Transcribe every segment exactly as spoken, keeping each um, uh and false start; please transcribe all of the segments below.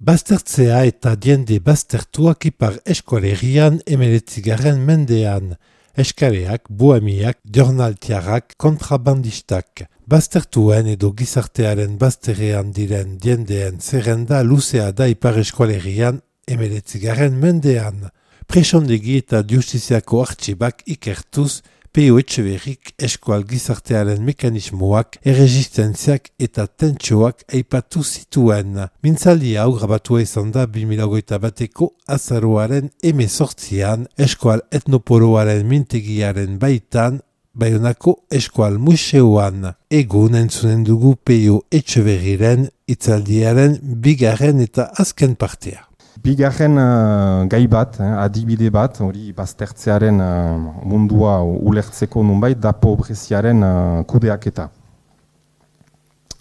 Baztertzea eta diende baztertuak ipar eskualerian emeretzigarren mendean. Eskaleak, bohemiak, jornaltiarrak, kontrabandistak. Baztertuen edo gizartearen bazterrean diren diendeen zerrenda luzea da ipar eskualerian emeretzigarren mendean. Presondegi eta justiziako artxibak ikertuz, Pio Etxeberrik eskual gizartearen mekanismoak, erresistentziak eta tentsoak aipatu zituen. Mintzaldi hau grabatua izan da bi mila hogeita bateko azaroaren hemezortzian eskual etnopoloaren mintegiaren baitan, Baionako eskual museoan. Egun entzunen dugu Pio Etxeberriren hitzaldiaren bigarren eta azken partea. Bigarren uh, gai bat, eh, adibide bat, hori baztertzearen uh, mundua ulertzeko nunbait, da pobreziaren uh, kudeaketa.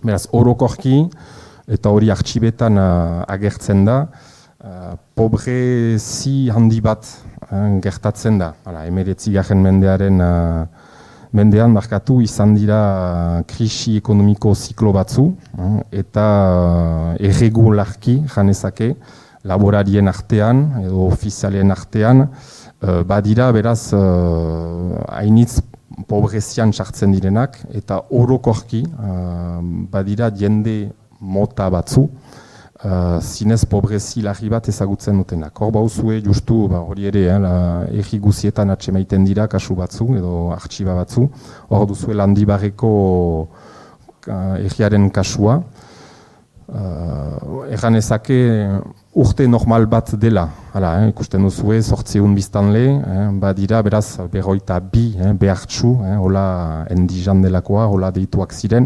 Beraz, orokorki, eta hori artxibetan uh, agertzen da, uh, pobrezi handi bat uh, gertatzen da. Hala, emeretzigarren mendearen uh, mendean markatu izan dira uh, krisi ekonomiko ziklo batzu, uh, eta uh, erregularki janezake, laborarien artean edo ofizialen artean, uh, badira beraz hainitz uh, pobrezian sartzen direnak eta orokorki uh, badira jende mota batzu, uh, zinez pobrezi larri bat ezagutzen dutenak. Hor bauzue justu ba, hori ere, eh, erri guzietan atsemaiten dira kasu batzu edo artxiba batzu, hor duzue Landibarreko uh, erriaren kasua. Uh, Erran ezake urte normal bat dela, hala, eh, ikusten duzue, sortzeun biztanle, eh, badira beraz berroita bi eh, behartxu, eh, hola endijan delakoa, hola deituak ziren,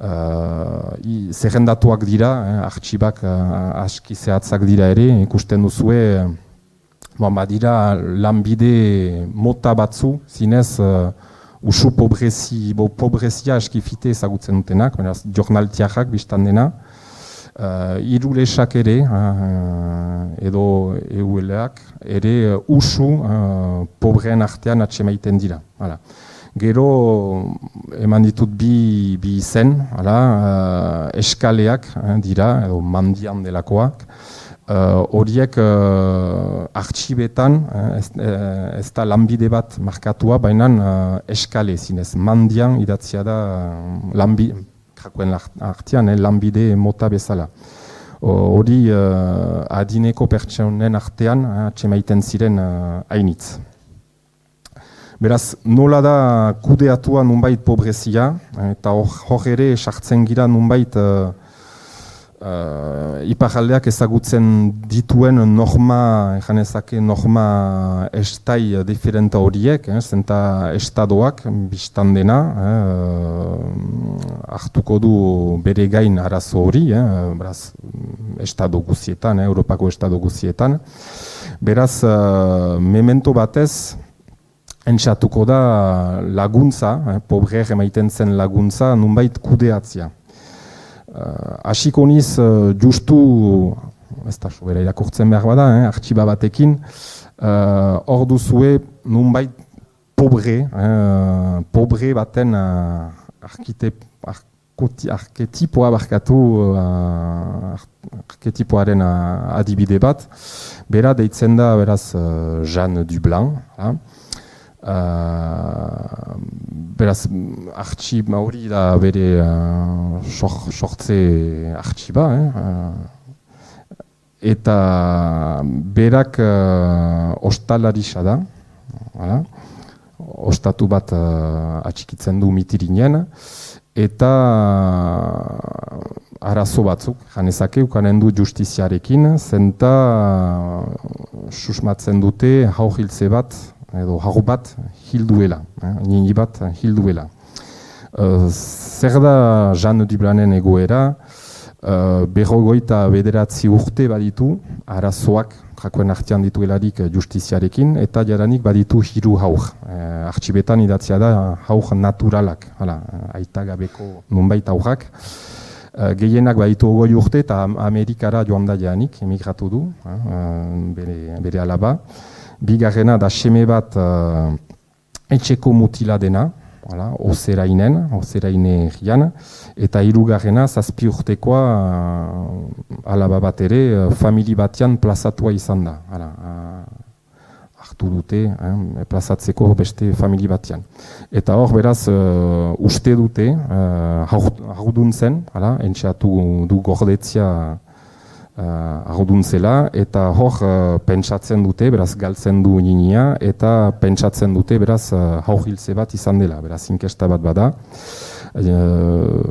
uh, zerrendatuak dira, eh, artxibak uh, aski zehatzak dira ere, ikusten duzue, eh, badira lanbide mota batzu, zinez, uh, usu pobrezi, bo pobrezia aski fite ezagutzen dutenak, beraz, jornaltiarrak biztan dena, Uh, irulesak ere, uh, edo euleak, ere uh, usu uh, pobreen artean atsemaiten dira. Hala. Gero eman ditut bi, bi izen, hala, uh, eskaleak uh, dira, edo mandian delakoak. Horiek uh, uh, artxibetan, uh, ez, uh, ez da lanbide bat markatua, baina uh, eskale zinez, mandian idatzia da uh, lanbide, kakuen artean, eh, lanbide mota bezala. Hori uh, adineko pertsonen artean atsemaiten uh, ziren uh, hainitz. Beraz, nola da kudeatua nunbait pobrezia, eta hor ere sartzen gira nunbait uh, uh, iparraldeak ezagutzen dituen norma, ejanezake norma estai diferenta horiek, eh, zenta estadoak biztan dena, eh, hartuko du bere gain arazo hori, eh, beraz, estado guzietan, eh, Europako estado guzietan. Beraz, uh, memento batez, entzatuko da laguntza, eh, pobreer emaiten zen laguntza, nunbait kudeatzia. Hasiko uh, niz, uh, justu, ez da sobera irakurtzen behar bada, eh, artxiba batekin, hor uh, duzue nunbait pobre, eh, pobre baten uh, arkite, arkoti, arketipoa barkatu, uh, arketipoaren uh, adibide bat, bera deitzen da beraz uh, Jeanne Dublanc, ha? Uh, beraz, artxiba hori da bere uh, sortze artxiba, eh? uh, eta berak uh, ostalarisa da, hala? Ostatu bat uh, atxikitzen du mitirinen, eta uh, arazo batzuk, janezake, ukanen du justiziarekin, zenta uh, susmatzen dute haur-hiltze bat, edo haur bat hilduela, eh, nini bat hilduela. Uh, zer da Jeanne Dublancen egoera, uh, berrogoita bederatzi urte baditu, arazoak jakoen artean dituelarik justiziarekin, eta jadanik baditu hiru haur. Uh, artxibetan idatzia da haur naturalak, hala, aita gabeko nunbait haurrak. Uh, gehienak baditu ogoi urte eta Amerikara joan da jadanik, emigratu du, uh, bere, bere alaba. Bigarrena da seme bat uh, etxeko mutila dena, hala, Ozerainen, Ozeraine herrian, eta hirugarrena zazpi urtekoa alaba bat ere famili batean plazatua izan da. Hala, hartu dute, eh, plazatzeko beste famili batean. Eta hor, beraz, uh, uste dute, uh, haudun zen, hala, entxeatu du gordetzia uh, haudun zela, eta hor, uh, pentsatzen dute, beraz, galtzen du ninia, eta pentsatzen dute, beraz, uh, haugiltze bat izan dela, beraz, inkesta bat bada. Uh,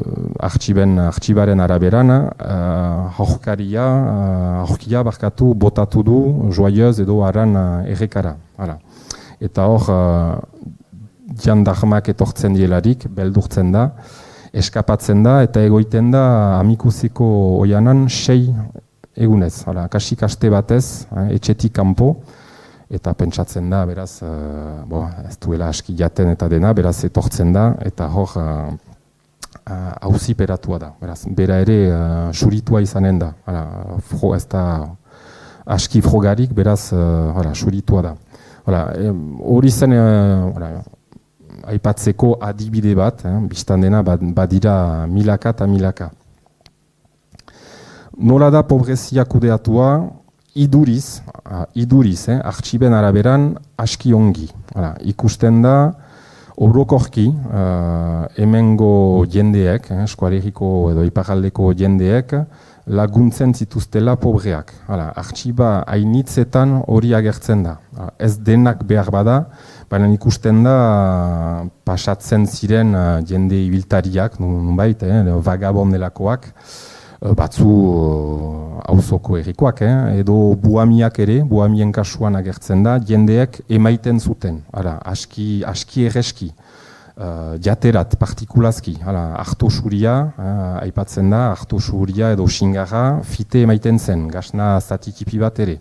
artxiben, artxibaren araberan, uh, haurkaria, uh, haurkia barkatu botatu du joyeuz edo aran uh, errekara. Hala. Eta hor, uh, jandarmak etortzen dielarik, beldurtzen da, eskapatzen da, eta egoiten da amikuziko oianan sei egunez. Hala, kasik aste batez, eh, etxetik kanpo, eta pentsatzen da, beraz, uh, bo, ez duela aski jaten eta dena, beraz etortzen da, eta hor, uh, hauziperatua da. Beraz, bera ere uh, suritua izanen da. Hala, fro, ez da aski frogarik, beraz, uh, hala, suritua da. Hori zen, uh, aipatzeko adibide bat, eh, biztan dena badira milaka eta milaka. Nola da pobrezia kudeatua, iduriz, uh, iduriz, eh, artxiben araberan aski ongi. Hala, ikusten da, orokorki, uh, hemengo jendeek, eh, eskualeriko edo iparaldeko jendeek, laguntzen zituztela pobreak. Hala, artxiba hainitzetan hori agertzen da. Ez denak behar bada, baina ikusten da pasatzen ziren uh, jende ibiltariak, nunbait, eh, vagabondelakoak, batzu auzoko errikoak, eh, edo buamiak ere, buamien kasuan agertzen da, jendeek emaiten zuten, ara, aski, aski erreski, uh, jaterat, partikulazki, harto suria, uh, aipatzen da, harto suria edo xingarra, fite emaiten zen, gasna zatikipi bat ere.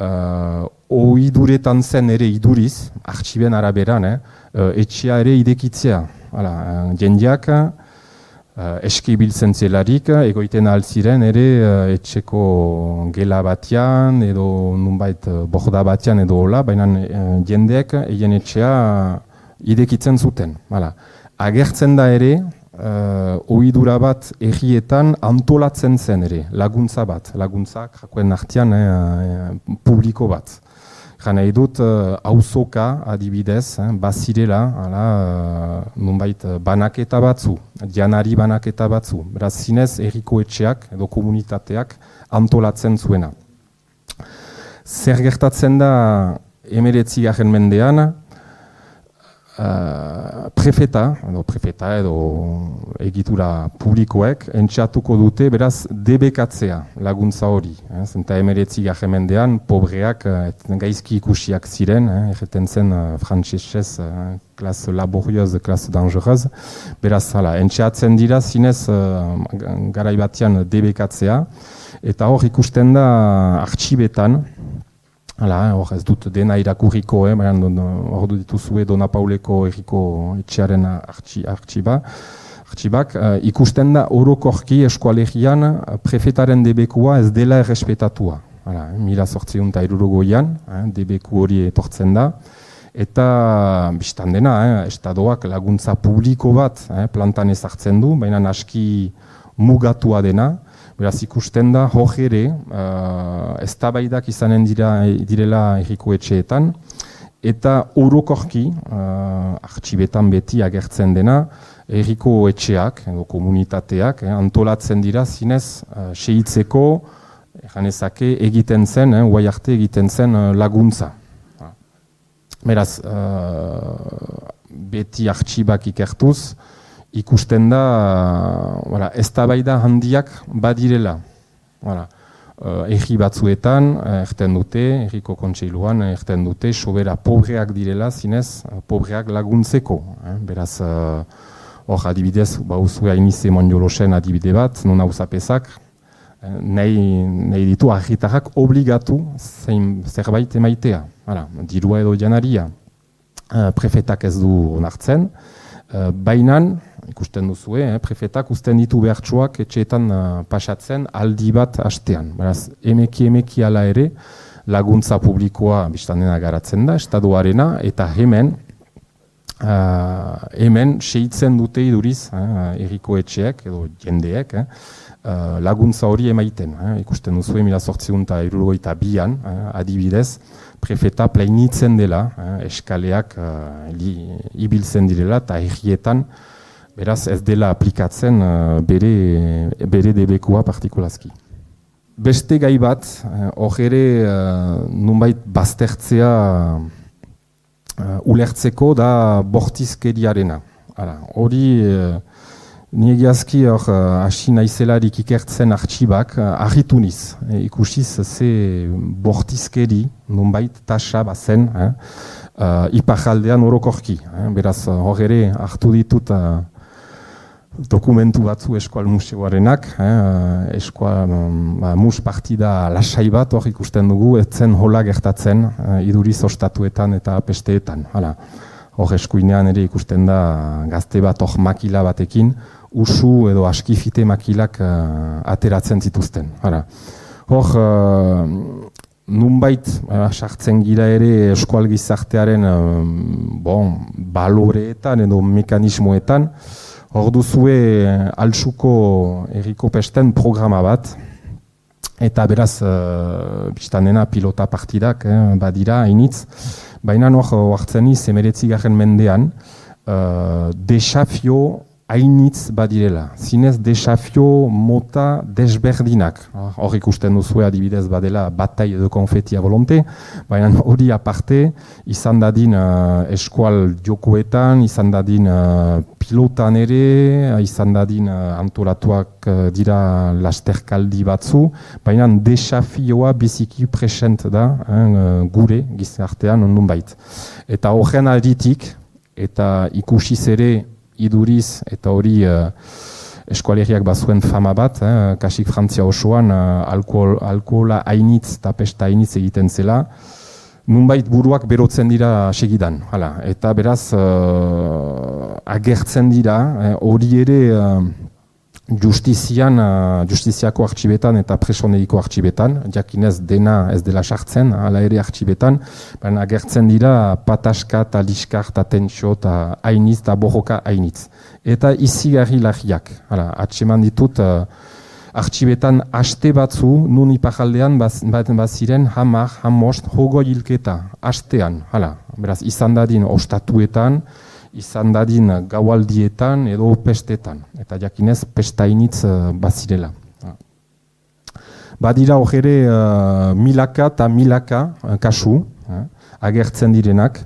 Uh, Oiduretan zen ere iduriz, artxiben araberan, eh, uh, etxea ere idekitzea, hala, uh, jendeak, Uh, eski biltzen zelarik, egoiten altziren ere uh, etxeko gela batean edo nunbait uh, borda batean edo hola, baina uh, jendeek egin etxea idekitzen zuten. Hala. Agertzen da ere, uh, ohidura bat errietan antolatzen zen ere, laguntza bat, laguntzak jakoen artean eh, publiko bat. Jana edut, auzoka uh, adibidez, eh, bazirela, hala, uh, nunbait banaketa batzu, janari banaketa batzu. Beraz, zinez, erriko etxeak edo komunitateak antolatzen zuena. Zer gertatzen da hemeretzigarren mendean, uh, prefeta, edo prefeta edo egitura publikoek, entxatuko dute, beraz, debekatzea laguntza hori. Eh? Zenta hemeretzigarren mendean, pobreak eh, gaizki ikusiak ziren, eh? erreten zen uh, frantsesez, uh, klas laborioz, klas dangereuz. Beraz, hala, entxatzen dira, zinez, uh, garaibatean debekatzea, eta hor ikusten da artxibetan, hala, hor ez dut dena irakurriko, eh? hor dituzue Dona Pauleko erriko etxearen artxiba, artxibak, uh, ikusten da orokorki eskualegian prefetaren debekua ez dela errespetatua. Hala, mila zortziehun eta hirurogean, eh, debeku hori etortzen da, eta bistan dena, eh, estadoak laguntza publiko bat eh, plantan ezartzen du, baina aski mugatua dena, beraz ikusten da hor ere, uh, eztabaidak izanen dira, direla erriko etxeetan, eta orokorki, uh, artxibetan beti agertzen dena, erriko etxeak, edo komunitateak, eh, antolatzen dira zinez, uh, sehitzeko, janezake egiten zen, eh, uai arte egiten zen uh, laguntza. Beraz, uh, beti artxibak ikertuz, ikusten da, uh, eztabaida handiak badirela. Voilà. Uh, erri batzuetan, uh, erten dute, erriko kontseiluan, uh, erten dute, sobera pobreak direla, zinez, uh, pobreak laguntzeko. Eh? Beraz, hor uh, adibidez, bauzue hainize monjolosen adibide bat, non hauzapezak, uh, nahi, nahi ditu argitarrak obligatu zein, zerbait emaitea. Hala, dirua edo janaria, uh, prefetak ez du onartzen, uh, bainan, ikusten duzue, eh, prefetak uzten ditu behartsuak etxeetan uh, pasatzen aldi bat hastean. Beraz, emeki emeki ala ere, laguntza publikoa biztan dena garatzen da, estaduarena, eta hemen, Uh, hemen sehitzen dute iduriz, eh, herriko etxeek edo jendeek eh, uh, laguntza hori emaiten. Eh, ikusten duzu mila zortziehun eta hirurogeita bian, eh, adibidez, prefeta plainitzen dela, eh, eskaleak uh, li, ibiltzen direla eta herrietan, beraz ez dela aplikatzen uh, bere, bere debekua partikulazki. Beste gai bat, hor eh, ere uh, nunbait baztertzea Uh, ulertzeko da bortizkeriarena. Hori, uh, niegiazki hor uh, hasi naizelarik ikertzen artxibak uh, argitu niz. E, ikusiz ze bortizkeri nunbait tasa bazen eh, uh, iparaldean orokorki. Eh, beraz hor ere hartu ditut uh, dokumentu batzu Eskual Museoarenak, eh, Eskual um, mus partida lasai bat hor ikusten dugu, etzen hola gertatzen eh, iduriz ostatuetan eta pesteetan. Hala, hor eskuinean ere ikusten da gazte bat hor makila batekin, usu edo askifite makilak uh, ateratzen zituzten. Hala, hor uh, nunbait uh, sartzen gira ere eskual gizartearen uh, bon, baloreetan edo mekanismoetan. Hor duzue Altsuko herriko pesten programa bat, eta beraz, uh, biztanena pilota partidak eh, badira, hainitz, baina hor hartzen iz, emeretzigarren mendean, uh, desafio hainitz badirela. Zinez desafio mota desberdinak. Hor ikusten duzue adibidez badela batai edo konfetia volonte, baina hori aparte, izan dadin uh, eskual jokoetan, izan dadin uh, pilotan ere, izan dadin uh, antolatuak uh, dira lasterkaldi batzu, baina desafioa biziki present da eh, gure gizartean ondun bait. Eta horren alditik, eta ikusiz ere iduriz, eta hori uh, eskualeriak bazuen fama bat, eh, kasik Frantzia osoan uh, alkohol, alkohola hainitz eta pesta hainitz egiten zela, nunbait buruak berotzen dira segidan. Hala. Eta beraz, uh, agertzen dira, hori eh, ere uh, justizian, uh, justiziako artxibetan eta presonediko artxibetan, jakinez dena ez dela sartzen, hala ere artxibetan, baina agertzen dira pataska eta liskar eta tentxo eta hainitz eta borroka hainitz. Eta izigarri lagiak, hala, atseman ditut, uh, artxibetan aste batzu, nun iparaldean baten baziren hamar, hamost, hogo hilketa, astean, hala, beraz, izan dadin ostatuetan, izan dadin gaualdietan edo pestetan, eta jakinez pestainitz uh, bazirela. Badira hor ere uh, milaka eta milaka uh, kasu, uh, agertzen direnak,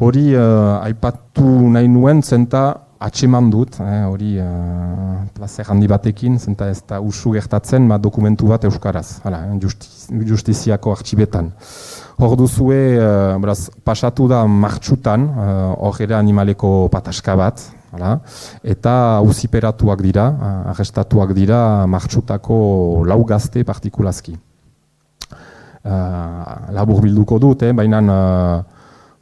hori uh, aipatu nahi nuen zenta atseman dut, hori eh, uh, plazer handi batekin, zenta ez da usu gertatzen, ma dokumentu bat euskaraz, hala, justiz, justiziako artxibetan. Hor duzue, uh, beraz, pasatu da martxutan, hor uh, ere animaleko pataska bat, hala, eta auziperatuak dira, uh, arrestatuak dira martxutako lau gazte partikulazki. Uh, labur bilduko dut, eh, baina uh,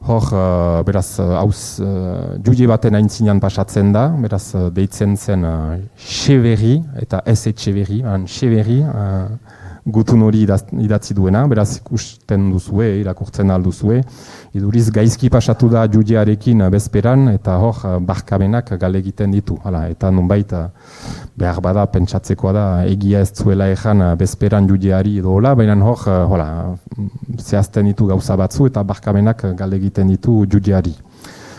hor, uh, beraz, hauz uh, juge baten aintzinean pasatzen da, beraz, uh, deitzen zen uh, Xeberri eta ez Etxeberri, Xeberri, uh, gutun hori idatzi duena, beraz ikusten duzue, irakurtzen alduzue, iduriz gaizki pasatu da jugearekin bezperan, eta hor, uh, barkamenak gale egiten ditu, hala, eta nunbait, uh, behar bada, pentsatzekoa da, egia ez zuela ezan uh, bezperan jugeari edo hola, baina hor, uh, hola, zehazten ditu gauza batzu eta barkamenak gale egiten ditu jugeari.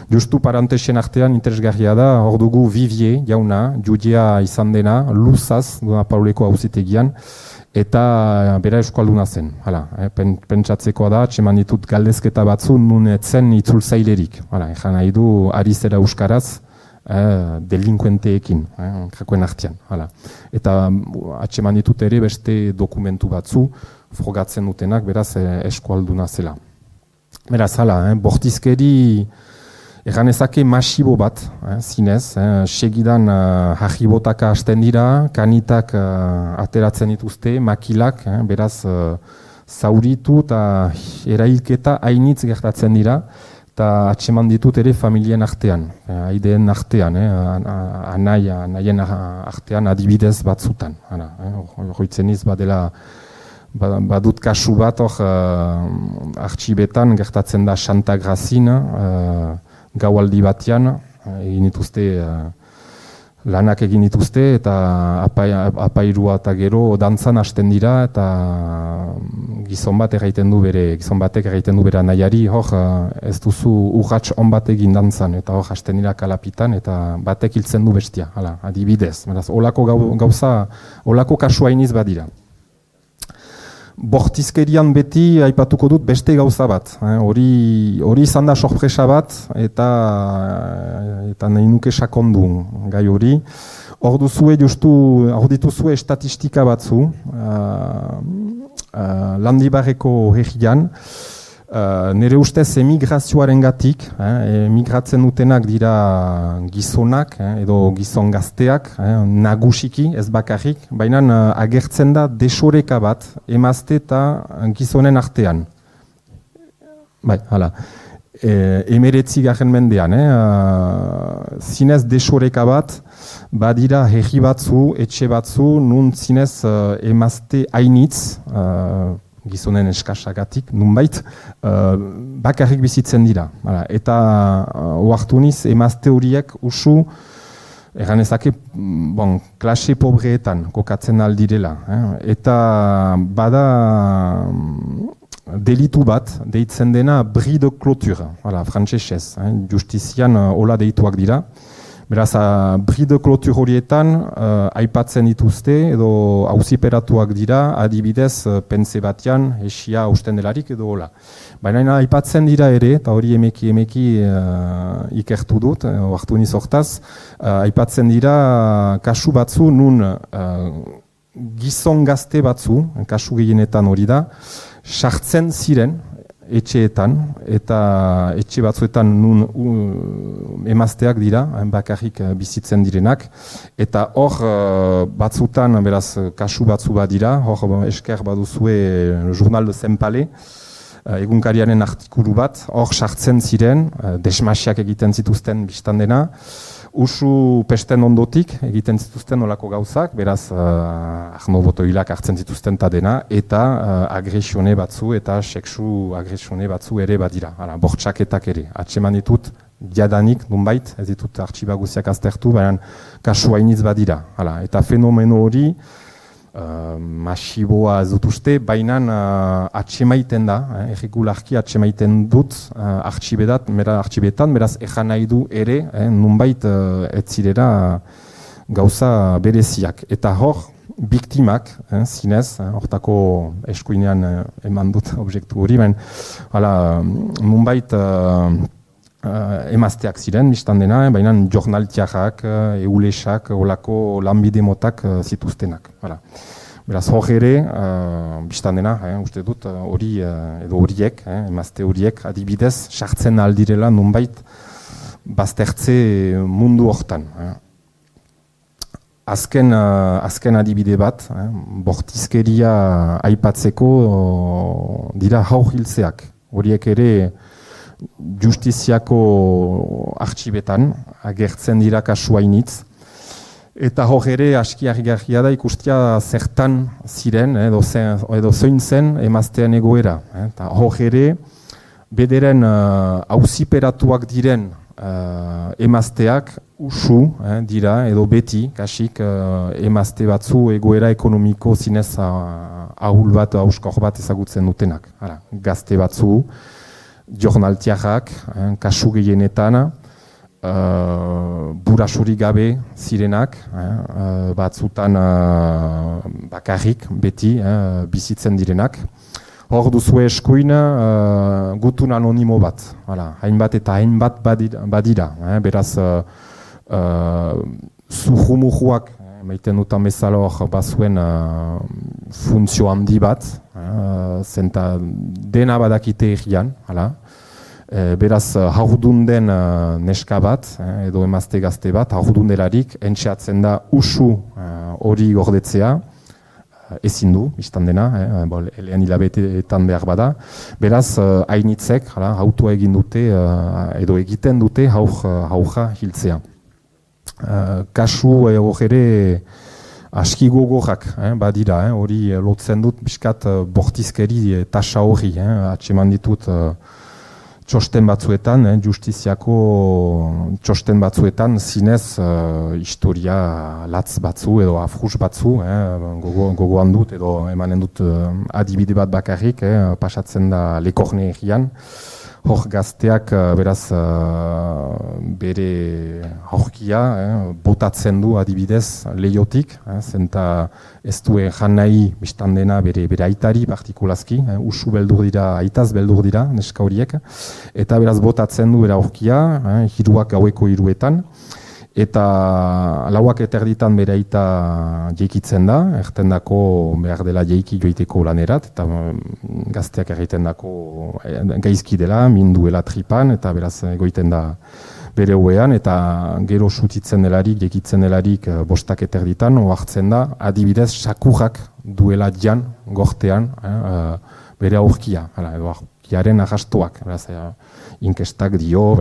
Justu parantesen artean interesgarria da, hor dugu Vivier jauna, jugea izan dena, luzaz, Dona Pauleko auzitegian, eta bera euskalduna zen. Hala, eh, pen, pentsatzekoa da, txeman ditut galdezketa batzu nun etzen itzultzailerik. Hala, ezan nahi du ari zera euskaraz, eh, delinkuenteekin, eh, jakoen artean. Hala. Eta atxeman ditut ere beste dokumentu batzu, frogatzen dutenak, beraz, eh, eskualduna zela. Beraz, hala, eh, bortizkeri egan ezake masibo bat, eh, zinez, eh, segidan uh, jajibotaka hasten dira, kanitak uh, ateratzen dituzte, makilak, eh, beraz, uh, zauritu eta erailketa hainitz gertatzen dira, eta atseman ditut ere familien artean, eh, aideen artean, eh, anai, anaien artean adibidez batzutan. Horroitzen iz badela, badut kasu bat hor uh, artxibetan gertatzen da Santa Grazina, uh, gaualdi batean, egin dituzte, lanak egin dituzte, eta apai, apairua eta gero dantzan hasten dira, eta gizon bat egiten du bere, gizon batek egiten du bere nahiari, hor ez duzu urratx on bat egin dantzan, eta hor hasten dira kalapitan, eta batek hiltzen du bestia, hala, adibidez. Beraz, olako gauza, olako kasua iniz badira. Bortizkerian beti aipatuko dut beste gauza bat, hori eh, izan da sorpresa bat, eta, eta nahi nuke sakondu gai hori. Hor duzue, justu, hor dituzue estatistika batzu, uh, uh, Landibarreko herrian, uh, nire ustez emigrazioaren gatik, eh, emigratzen dutenak dira gizonak, eh, edo gizon gazteak, eh, nagusiki, ez bakarrik, baina uh, agertzen da desoreka bat, emazte eta gizonen artean. Bai, hala. E, emeretzi garen mendean, eh, uh, zinez desoreka bat, badira herri batzu, etxe batzu, nun zinez uh, emazte hainitz, uh, gizonen eskasagatik, nunbait, uh, bakarrik bizitzen dira. Hala. Eta uh, oartu niz, emazte horiek usu, egan ezake, bon, klase pobreetan kokatzen aldirela. Eh? Eta bada delitu bat, deitzen dena bris de clôture, voilà, frantsesez, eh? Justizian uh, hola deituak dira. Beraz, uh, bris de clôture horietan uh, aipatzen dituzte edo auziperatuak dira, adibidez uh, pentze batean, esia usten delarik edo hola. Baina aipatzen dira ere, eta hori emeki emeki uh, ikertu dut, uh, hartu niz hortaz, uh, aipatzen dira uh, kasu batzu nun uh, gizon gazte batzu, kasu gehienetan hori da, sartzen ziren etxeetan, eta etxe batzuetan nun uh, emazteak dira, bakarrik uh, bizitzen direnak, eta hor uh, batzutan, beraz, kasu batzu bat dira, hor esker baduzue Journal de Saint-Palais, uh, egunkariaren artikulu bat, hor sartzen ziren, uh, desmasiak egiten zituzten biztan dena, usu pesten ondotik egiten zituzten olako gauzak, beraz uh, ahno botoilak hartzen zituzten ta dena, eta uh, agresione batzu eta sexu agresione batzu ere badira, hala, bortxaketak ere. Atseman ditut, jadanik, nunbait, ez ditut artxiba guziak aztertu, baina kasu hainitz badira. Hala, eta fenomeno hori, uh, masiboa ez dut uste, baina uh, atsemaiten da, eh, errigularki atsemaiten dut uh, artxibetat, mera artxibetan, beraz ejan nahi du ere, eh, nunbait uh, ez zirera gauza bereziak. Eta hor, biktimak, eh, zinez, eh, hortako eskuinean eh, eman dut objektu hori, baina nunbait uh, Uh, emazteak ziren, biztan dena, eh, baina jornaltiarrak, uh, eulesak, olako lanbide motak uh, zituztenak. Hala. Beraz, hor ere, uh, biztan dena, eh, uste dut, hori uh, edo horiek, eh, emazte horiek, adibidez, sartzen aldirela nunbait baztertze mundu hortan. Eh. Azken, uh, azken adibide bat, eh, bortizkeria aipatzeko uh, dira haur hiltzeak. Horiek ere, justiziako artxibetan, agertzen dira kasu hainitz, eta hor ere aski harrigarria da ikustia zertan ziren, edo, zen, edo zoin zen emaztean egoera. Eta hor ere, bederen auziperatuak uh, diren uh, emazteak usu eh, dira, edo beti, kasik uh, emazte batzu egoera ekonomiko zinez uh, ahul bat, auskor bat ezagutzen dutenak. Hala, gazte batzu, jornaltiarrak, eh, kasu gehienetan, uh, burasurik gabe zirenak, eh, batzutan uh, bakarrik, beti, eh, bizitzen direnak. Hor duzue eskuin uh, gutun anonimo bat, hala, hainbat eta hainbat badira, badira eh, beraz uh, uh, zuhumuhuak, eh, maiten dutan bezala hor bazuen uh, funtzio handi bat, Uh, zenta dena badakite egian, hala. E, beraz, haurdun den uh, neska bat, eh, edo emazte gazte bat, haurdun delarik, entxeatzen da usu hori uh, gordetzea, uh, ezin du, biztan dena, eh, bol, elean hilabeteetan behar bada. Beraz, hainitzek, uh, hautua egin dute, uh, edo egiten dute haur, haurra hiltzea. Uh, kasu hor ere, aski gogorrak, eh, badira, hori eh, lotzen dut, biskat uh, bortizkeri eh, tasa hori, eh, atseman ditut uh, txosten batzuetan, eh, justiziako txosten batzuetan, zinez uh, historia latz batzu edo afrus batzu, eh, gogo, gogoan dut edo emanen dut uh, adibide bat bakarrik, eh, pasatzen da Le Corneillean. Hor gazteak beraz bere aurkia eh, botatzen du adibidez lehiotik, eh, zenta ez duen jan nahi biztan dena bere, bere aitari partikulazki, eh, usu beldur dira, aitaz beldur dira neska horiek, eta beraz botatzen du bere aurkia, eh, hiruak gaueko hiruetan, eta lauak eterditan bere aita jeikitzen da, erten dako behar dela jeiki joiteko lanerat, eta gazteak egiten dako gaizki dela, minduela tripan, eta beraz egoiten da bere hoean, eta gero sutitzen delarik, jeikitzen delarik bostak eterditan, oartzen da, adibidez, sakurrak duela jan, gortean, eh, bere aurkia, edo aurkiaren ahastoak, beraz, eh, inkestak dio,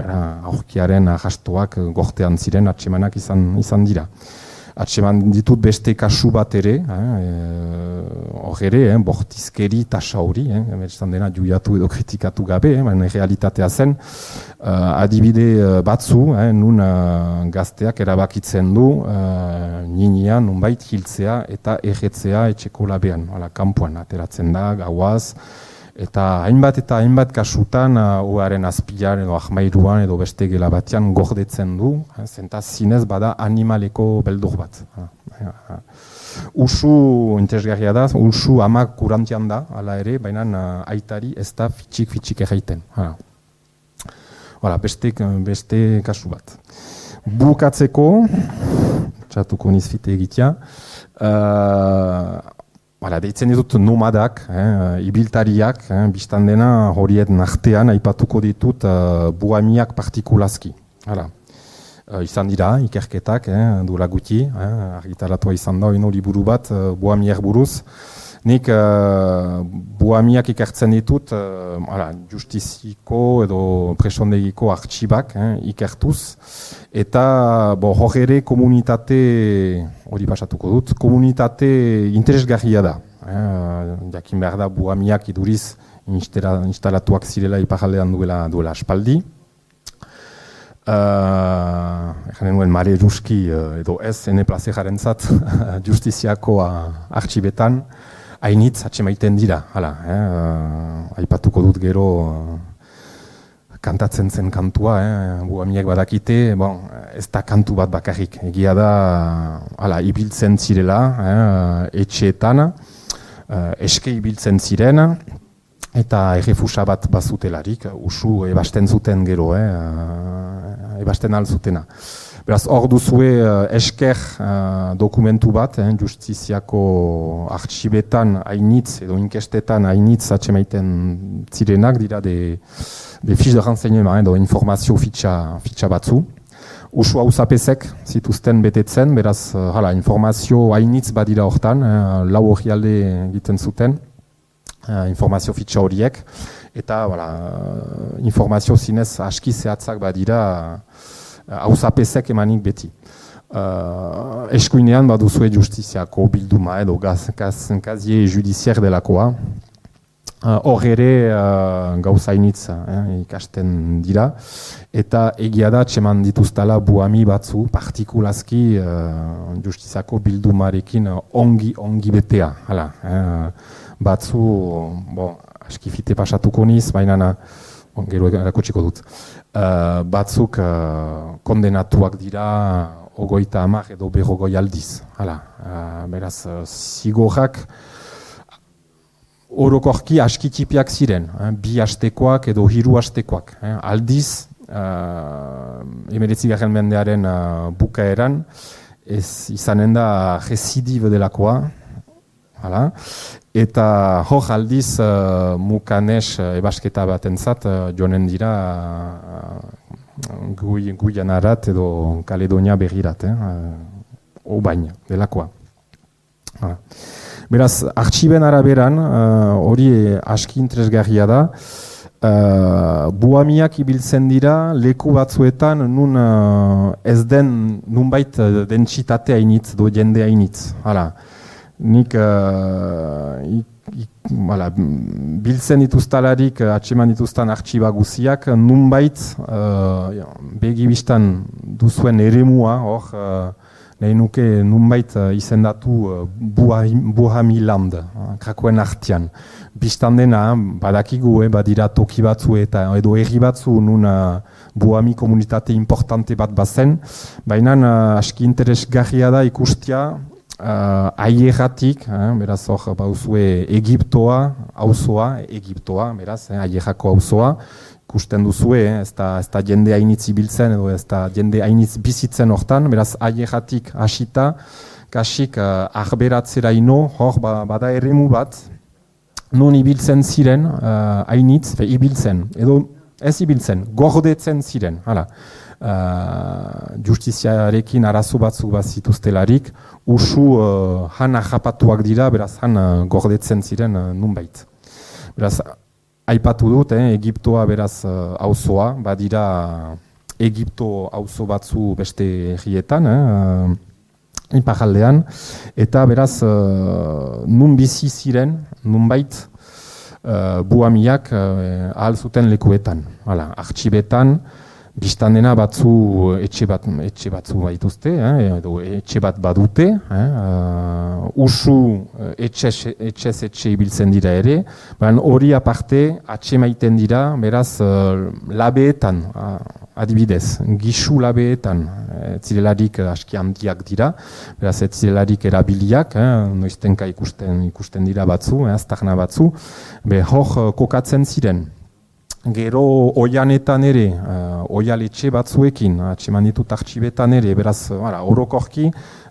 aurkiaren ahastoak gortean ziren atsemanak izan, izan dira. Atseman ditut beste kasu bat ere, hor eh, ere, eh, bortizkeri tasa hori, eh, emertzen dena juiatu edo kritikatu gabe, eh, baina realitatea zen, uh, adibide batzu, eh, nun uh, gazteak erabakitzen du, uh, ninian, nunbait, hiltzea eta erretzea etxeko labean, ala, kanpoan ateratzen da, gauaz, eta hainbat eta hainbat kasutan oaren uh, azpilan edo ahmairuan edo beste gela batean gordetzen du, eh, zenta zinez bada animaleko beldur bat. Uh, uh, usu interesgarria da, usu amak kurantian da, hala ere, baina uh, aitari ez da fitxik-fitxik erraiten. Uh. Voilà, beste, beste kasu bat. Bukatzeko, txatuko nizfite egitea, uh, Hala, deitzen ditut nomadak, eh, ibiltariak, eh, biztan dena horien artean aipatuko ditut uh, buamiak partikulazki. Hala, uh, izan dira, ikerketak, eh, duela guti, eh, argitaratua izan da, ino liburu bat, uh, buamiak buruz. Nik uh, buamiak ikertzen ditut, uh, hala, justiziko edo presondegiko artxibak eh, ikertuz, eta hor ere komunitate, hori pasatuko dut, komunitate interesgarria da. Eh, jakin behar da buamiak iduriz instalatuak zirela iparaldean duela, duela aspaldi. Uh, Egan nuen mare ruski uh, edo ez ene plazejaren zat justiziako uh, artxibetan, hainitz atxemaiten dira, hala, eh, uh, aipatuko dut gero uh, kantatzen zen kantua, eh, buamiek badakite, bon, ez da kantu bat bakarrik, egia da, hala, ibiltzen zirela, eh, etxeetan, uh, eske ibiltzen ziren, eta errefusa bat bazutelarik, usu ebasten zuten gero, eh, uh, ebasten alzutena. Beraz, hor duzue uh, esker uh, dokumentu bat, eh, justiziako artxibetan hainitz edo inkestetan hainitz atxemaiten zirenak dira de, de fiche de renseignement edo informazio fitxa, fitxa batzu. Usu hauzapezek zituzten betetzen, beraz, uh, hala, informazio hainitz badira hortan, eh, lau hori alde egiten zuten, uh, informazio fitxa horiek, eta voilà, informazio zinez aski zehatzak badira, hauzapezek emanik beti. Uh, eskuinean baduzue justiziako bilduma edo kazie judizier delakoa. Hor uh, ere uh, gauzainitz eh, ikasten dira. Eta egia da txeman dituztala buami batzu, partikulazki uh, justiziako bildumarekin ongi ongi betea. Hala, eh, batzu, bon, askifite pasatuko niz, baina bon, gero erakutsiko dut. Uh, batzuk uh, kondenatuak dira ogoita hamar edo berrogoi aldiz. Hala, uh, beraz, uh, zigorrak orokorki askitipiak ziren, eh, bi hastekoak edo hiru hastekoak. Eh, aldiz, uh, emeretzigarren mendearen uh, bukaeran, ez izanen da residive delakoa, hala, eta hor aldiz uh, mukanes uh, ebasketa batentzat uh, joanen dira uh, gui, Guianarat edo Kaledonia berrirat, eh, uh, obain delakoa. Hala. Beraz, artxiben araberan, hori uh, aski interesgarria da, uh, buamiak ibiltzen dira leku batzuetan nun uh, ez den nunbait dentsitate hainitz, do jende hainitz. Hala. Nik uh, Voilà, biltzen dituztalarik atseman dituztan artxiba guziak, nunbait uh, begibistan duzuen eremua, hor, uh, nahi nuke nunbait uh, izendatu uh, Buhami Land, uh, Krakoen artean. Bistan dena, badakigu, eh, badira toki batzu eta edo herri batzu nun uh, Buhami komunitate importante bat bazen, baina uh, aski interesgarria da ikustia, Uh, Aierratik, eh, beraz hor bauzue Egiptoa, auzoa, Egiptoa, beraz, eh, Aierrako auzoa, ikusten duzue, eh, ez da, ez da jende hainitz ibiltzen edo ez da jende hainitz bizitzen hortan, beraz Aierratik hasita, kasik uh, arberatzera ino, hor ba, bada eremu bat, non ibiltzen ziren, uh, hainitz, fe, ibiltzen, edo ez ibiltzen, gordetzen ziren, hala. Uh, justiziarekin arazo batzuk bat zituztelarik, usu uh, han ahapatuak dira, beraz han uh, gordetzen ziren uh, nunbait. Beraz, aipatu dut, eh, Egiptoa beraz uh, auzoa, badira Egipto auzo batzu beste herrietan, eh, uh, iparraldean, eta beraz uh, nun bizi ziren, nunbait uh, buhamiak uh, ahal zuten lekuetan, hala, artxibetan, bistan dena batzu etxe bat etxe batzu baituzte, eh, edo etxe bat badute, eh, uh, usu etxez etxez etxe ibiltzen dira ere, baina hori aparte atxe maiten dira, beraz uh, labeetan, uh, adibidez, gisu labeetan, ez zirelarik aski handiak dira, beraz ez zirelarik erabiliak, eh, noiztenka ikusten ikusten dira batzu, eh, aztarna batzu, be hor kokatzen ziren. Gero oianetan ere, uh, oialetxe batzuekin, atseman ditut artxibetan ere, beraz, ara, orokorki,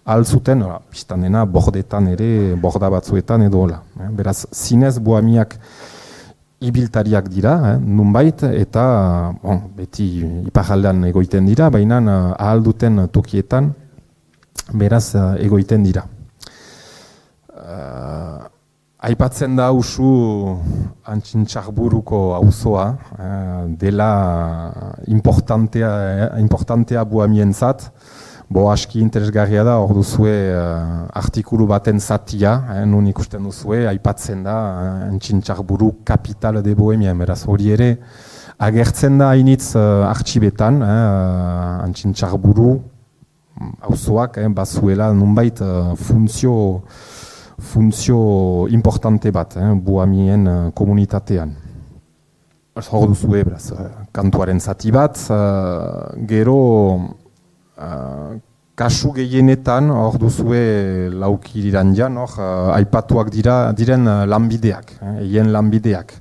altzuten, biztan dena, bordetan ere, borda batzuetan edo hola. Eh? Beraz, zinez buhamiak ibiltariak dira, eh? Nunbait, eta bon, beti iparraldean egoiten dira, baina uh, ahal duten tokietan, beraz, uh, egoiten dira. Uh, Aipatzen da usu Antxintxarburuko auzoa, eh, dela importantea, eh, importantea buhamientzat, bo aski interesgarria da, hor duzue eh, artikulu baten zatia, eh, nun ikusten duzue, aipatzen da eh, Antxintxarburu kapital de Bohemia, beraz hori ere agertzen da hainitz eh, artxibetan, eh, Antxintxarburu auzoak, eh, bazuela nunbait eh, funtzio funtzio importante bat, eh, buhamien uh, komunitatean. Hor duzue, beraz, uh, kantuaren zati bat, uh, gero uh, kasu gehienetan, hor duzue laukiriran jan, hor uh, aipatuak dira, diren uh, lanbideak, eien eh, lanbideak.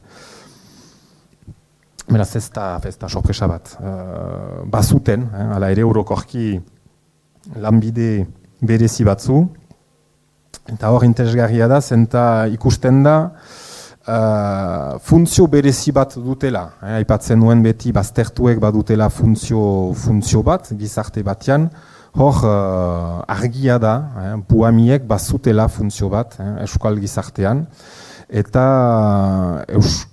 Beraz, ez da, ez da sorpresa bat. Uh, bazuten, eh, ala ere orokorki lanbide berezi batzu, eta hor interesgarria da, zenta ikusten da uh, funtzio berezi bat dutela. Eh, aipatzen nuen beti baztertuek badutela funtzio, funtzio bat, gizarte batean, hor uh, argia da, eh, buhamiek bazutela funtzio bat, eh, euskal gizartean, eta uh, eus,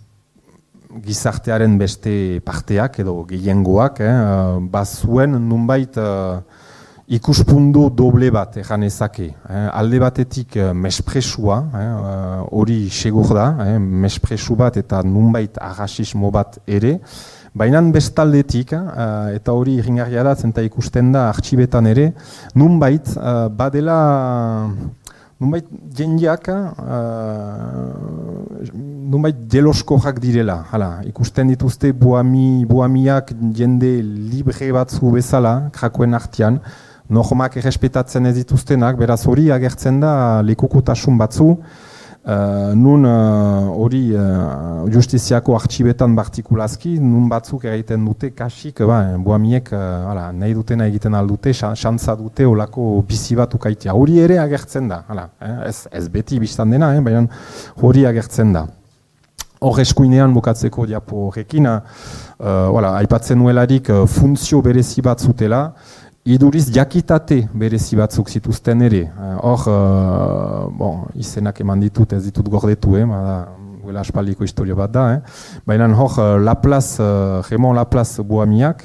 gizartearen beste parteak edo gehiengoak, eh, bazuen nunbait uh, ikuspundu doble bat egan ezake. Eh, alde batetik eh, mespresua, hori eh, segur da, eh, mespresu bat eta nunbait arrasismo bat ere, baina bestaldetik, eh, eta hori irringarria da, zenta ikusten da artxibetan ere, nunbait eh, badela, nunbait jendeak, eh, nunbait jeloskoak direla. Hala, ikusten dituzte buhami, buhamiak jende libre batzu bezala, Krakoen artean, normak errespetatzen ez dituztenak, beraz hori agertzen da lekukotasun batzu, uh, nun hori uh, uh, justiziako artxibetan partikulazki, nun batzuk egiten dute kasik, ba, buhamiek uh, ala, nahi dutena egiten aldute, xantza dute olako bizi bat ukaitea. Hori ere agertzen da, ala, eh? ez, ez beti biztan dena, eh? baina hori agertzen da. Hor eskuinean bukatzeko diapo horrekin, uh, aipatzen nuelarik uh, funtzio berezi bat zutela, iduriz jakitate berezi batzuk zituzten ere. Hor, uh, bon, izenak eman ditut, ez ditut gordetu, eh, duela aspaldiko historio bat da. Eh. Baina hor, Laplace, uh, Raymond Laplace buhamiak,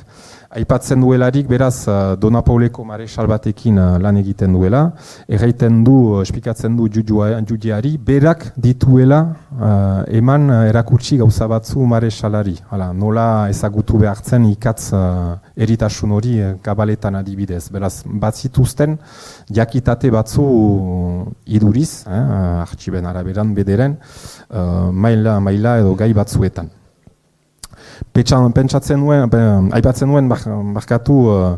Aipatzen duelarik, beraz, Dona Pauleko marexal batekin lan egiten duela, erraiten du, esplikatzen du judiari, berak dituela uh, eman erakutsi gauza batzu marexalari. Hala, nola ezagutu behartzen ikatz uh, eritasun hori kabaletan adibidez. Beraz, bat zituzten, jakitate batzu iduriz, eh, artxiben araberan bederen, uh, maila, maila edo gai batzuetan. Pentsatzen nuen, aipatzen nuen barkatu uh,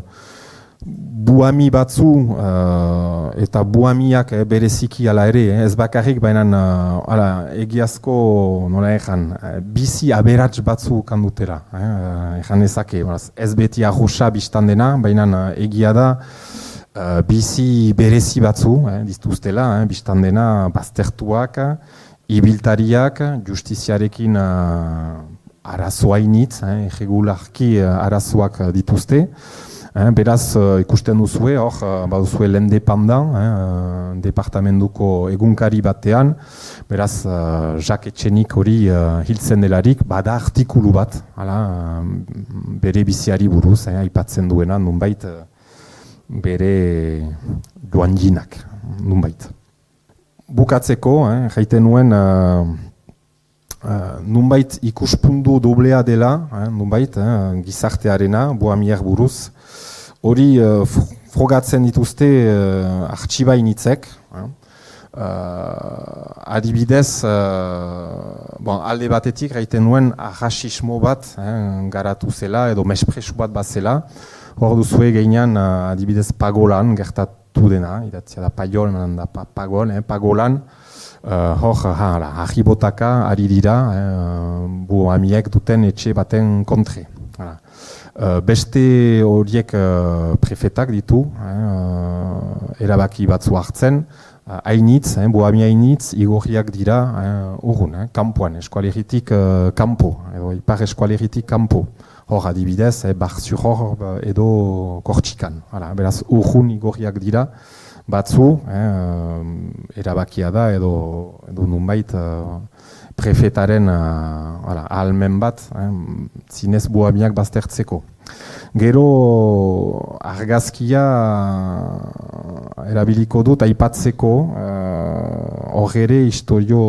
buami batzu uh, eta buamiak eh, bereziki ala ere, eh, ez bakarrik baina uh, egiazko nola ezan, uh, bizi aberats batzu kandutera. Eh, ezan ezake, ez beti arrosa biztan dena, baina uh, egia da uh, bizi berezi batzu, eh, dituztela, eh, biztan dena baztertuak, ibiltariak, justiziarekin uh, arazoainitz, eh, irregularki arazoak dituzte. Eh, beraz, uh, ikusten duzue, hor, uh, baduzue lende pandan, eh, departamentuko egunkari batean, beraz, uh, Jacques Etxenik hori uh, hiltzen delarik, bada artikulu bat, hala, uh, bere biziari buruz, eh, aipatzen duena, nunbait, uh, bere joanginak, nunbait. Bukatzeko, eh, jaiten nuen, uh, Uh, nunbait ikuspundu doblea dela, eh, nunbait, eh, gizartearena, boamier buruz, hori uh, frogatzen dituzte uh, artxibainitzek. Eh. Uh, adibidez, uh, bon, alde batetik gaiten nuen arrasismo bat eh, garatu zela, edo mespresu bat bat zela. Hor duzue geinean uh, adibidez pagolan gertatu dena, idatzia da paiol, da pa, pagol, eh, pagolan. Uh, hor, ahibotaka ari dira, eh, bu amiek duten etxe baten kontre. Uh, beste horiek uh, prefetak ditu, eh, erabaki batzu hartzen, uh, hainitz, eh, bu ami hainitz, igorriak dira uh, urrun, eh, kampuan, eskualeritik uh, kampo, edo ipar eskualeritik kampo. Hor adibidez, eh, Bar-sur-Hor edo Kortxikan. Hala, beraz, urrun igorriak dira, batzu, eh, erabakia da edo, edo nunbait uh, prefetaren uh, ahalmen bat, eh, zinez buamiak baztertzeko. Gero argazkia uh, erabiliko dut aipatzeko hor uh, ere historio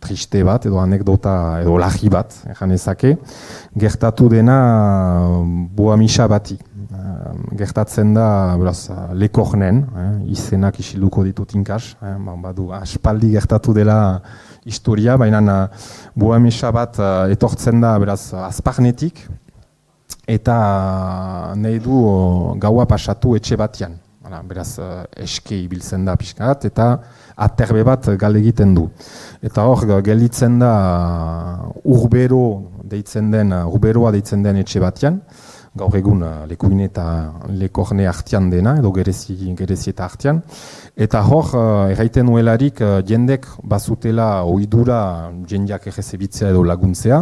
triste bat edo anekdota edo lagi bat, ejan ezake, gertatu dena buamisa bati. Gertatzen da, beraz, lekornen, eh, izenak isiluko ditut inkas, eh, badu, aspaldi gertatu dela historia, baina buamisa bat uh, etortzen da, beraz, azparnetik, eta nahi du uh, gaua pasatu etxe batian. Hala, beraz, uh, eske ibiltzen da pixkat, eta aterbe bat gal egiten du. Eta hor, gelditzen da uh, urbero deitzen den, uh, urberoa deitzen den etxe batian, gaur egun uh, lekuine eta lekorne artean dena, edo gerezi, gerezi eta artean. Eta hor, uh, erraiten nuelarik, uh, jendek bazutela oidura jendeak errezebitzea edo laguntzea.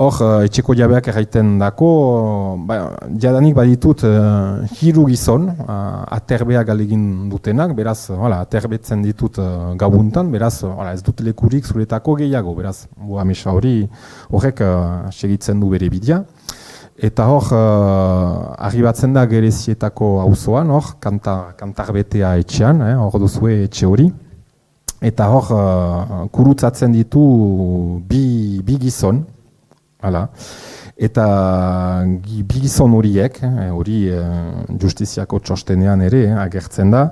Hor, uh, etxeko jabeak erraiten dako, uh, ba, jadanik baditut uh, hiru gizon, uh, aterbea galegin dutenak, beraz, hala, aterbetzen ditut uh, gabuntan, beraz, hala, ez dut lekurik zuretako gehiago, beraz, buamesa hori horrek uh, segitzen du bere bidea. Eta hor, uh, arribatzen da gerezietako auzoan, hor, kantar, kantarbetea etxean, eh, hor duzue etxe hori. Eta hor, uh, kurutzatzen ditu bi, bi gizon, hala. Eta bi gizon horiek, hori eh, justiziako txostenean ere eh, agertzen da,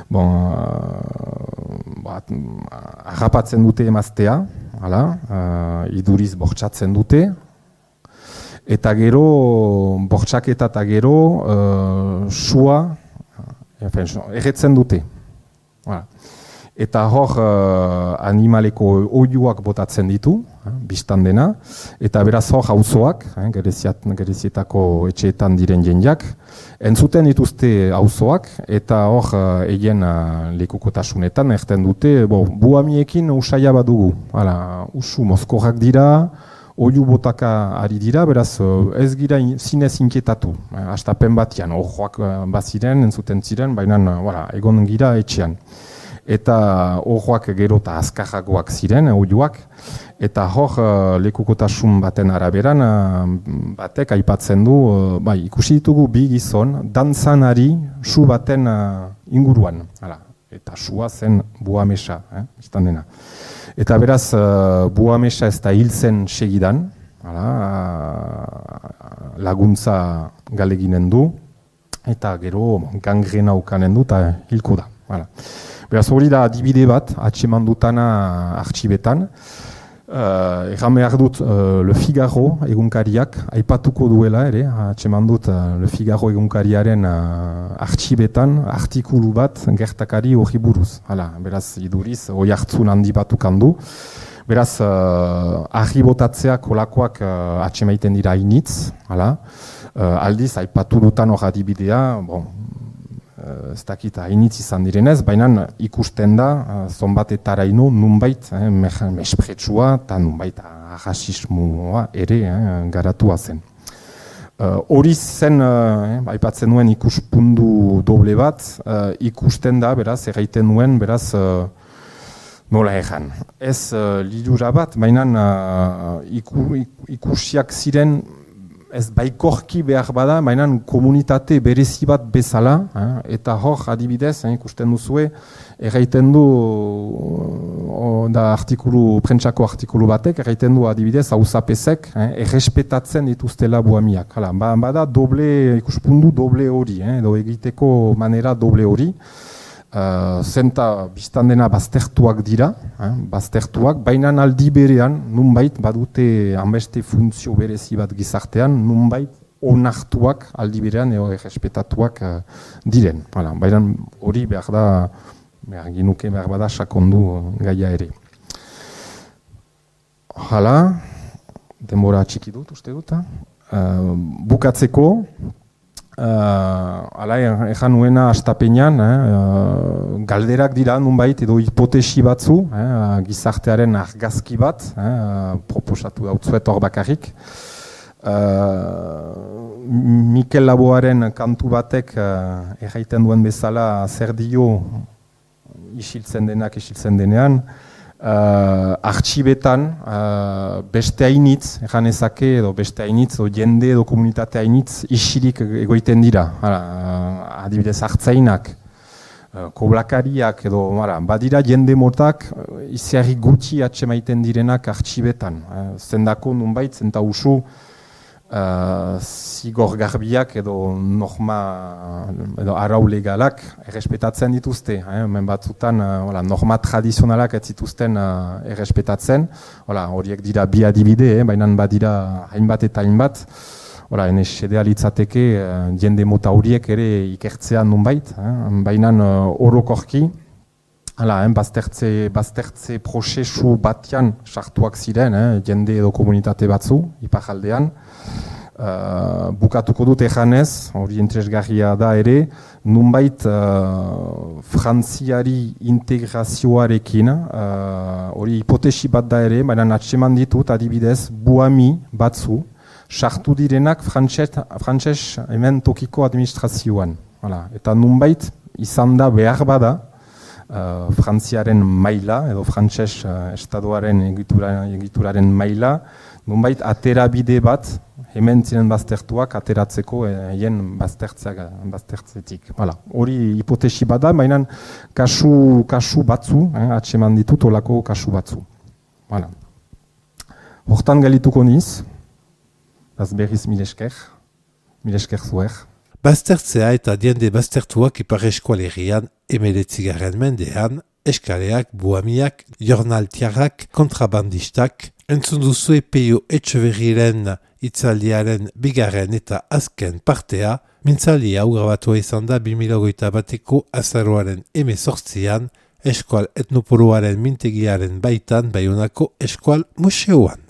bon, uh, bat, harrapatzen dute emaztea, hala, uh, iduriz bortxatzen dute, eta gero, bortxaketa eta gero, uh, sua, erretzen dute. Voilà. Eta hor, uh, animaleko oiuak botatzen ditu, eh, biztan dena, eta beraz hor auzoak, eh, gerezietako etxeetan diren jendeak, entzuten dituzte auzoak, eta hor, uh, egin uh, lekukotasunetan, erten dute, bo, buamiekin usaia badugu, hala, usu mozkorrak dira, oiu botaka ari dira, beraz ez gira zinez inketatu. Astapen batian, horroak baziren, entzuten ziren, baina voilà, egon gira etxean. Eta horroak gero eta azkarragoak ziren, oiuak, Eta hor, uh, lekukotasun baten araberan, uh, batek aipatzen du, uh, bai, ikusi ditugu bi gizon, dantzanari su baten uh, inguruan. Hala, eta sua zen buamesa, eh, izan dena. Eta beraz, uh, buamesa ez da hil zen segidan, hala, uh, laguntza galeginen du, eta gero gangrena ukanen du, eta hilko da. Hala. Beraz, hori da adibide bat, atseman dutana artxibetan. Uh, Egan behar dut uh, Le Figaro egunkariak aipatuko duela ere, atseman dut uh, Le Figaro egunkariaren uh, artxibetan artikulu bat gertakari hori buruz. Hala, beraz, iduriz, hoi hartzun handi bat ukandu. Beraz, uh, argi botatzeak kolakoak uh, atsemaiten dira initz. Hala. Uh, aldiz, aipatu dutan hor adibidea, bon, ez dakit hainitz izan direnez, baina ikusten da, zonbatetaraino nunbait eh, mespretsua eta nunbait ahasismoa ere eh, garatua zen. Hori uh, zen, eh, aipatzen nuen ikuspundu doble bat, uh, ikusten da, beraz, erraiten nuen, beraz, uh, nola egan. Ez uh, lidura bat, baina uh, iku, ikusiak ziren, ez baikorki behar bada, baina komunitate berezi bat bezala, eh, eta hor adibidez, eh, ikusten duzue, erraiten du, o, da artikulu, prentsako artikulu batek, erraiten du adibidez, hauzapezek, eh, errespetatzen dituztela buamiak. Hala, ba, bada doble, ikuspundu doble hori, eh, edo egiteko manera doble hori. Uh, zenta biztan dena baztertuak dira, eh, baztertuak, baina aldi berean, nunbait badute hanbeste funtzio berezi bat gizartean, nunbait onartuak aldi berean eo errespetatuak uh, diren. Hala, baina hori behar da, behar ginuke behar bada sakondu gaia ere. Hala, denbora txiki dut, uste dut. Uh, bukatzeko, Uh, ala ejan nuena astapenean, eh, uh, galderak dira nunbait edo hipotesi batzu, eh, gizartearen argazki bat, eh, proposatu dautzuet hor bakarrik. Uh, Mikel Laboaren kantu batek uh, erraiten duen bezala zer dio isiltzen denak isiltzen denean, Uh, artxibetan uh, beste hainitz, egan ezake, edo beste hainitz, o jende edo komunitate hainitz isirik egoiten dira. Hala, uh, adibidez hartzainak, uh, koblakariak, edo hala, badira jende motak uh, iziarri gutxi atsemaiten direnak artxibetan. Uh, zendako nunbait, zenta usu, Uh, zigor garbiak edo norma edo arau legalak errespetatzen dituzte. Eh? Men batzutan uh, norma tradizionalak ez zituzten uh, errespetatzen. Horiek dira bi adibide, eh? Baina badira hainbat eta hainbat. Ene sedea litzateke uh, jende mota horiek ere ikertzea nunbait. Eh? Baina uh, orokorki, hala, eh? baztertze, baztertze prozesu batian sartuak ziren, eh? Jende edo komunitate batzu, iparaldean. Uh, bukatuko dut ejanez, hori interesgarria da ere, nunbait uh, frantziari integrazioarekin, hori uh, hipotesi bat da ere, baina atseman ditut adibidez, buami batzu, sartu direnak frantses hemen tokiko administrazioan. Hala. Eta nunbait izan da behar bada, uh, frantziaren maila, edo frantses uh, estadoaren egitura, egituraren maila, nunbait aterabide bat, hemen ziren baztertuak ateratzeko hien baztertzetik. Hori hipotesi bada, baina kasu, kasu batzu, eh, atseman ditut olako kasu batzu. Hala. Hortan galituko niz, az berriz milesker, milesker zuer. Baztertzea eta diende baztertuak Ipar Eskualerian emeretzigarren mendean, eskaleak, buamiak, jornaltiarrak, kontrabandistak, entzun duzue Peio Etxeberriren itzaldiaren bigarren eta azken partea, mintzaldia hau grabatua izan da bi mila hogeita bateko azaroaren hemezortzian, Eskual Etnopoloaren mintegiaren baitan Baionako Eskual Museoan.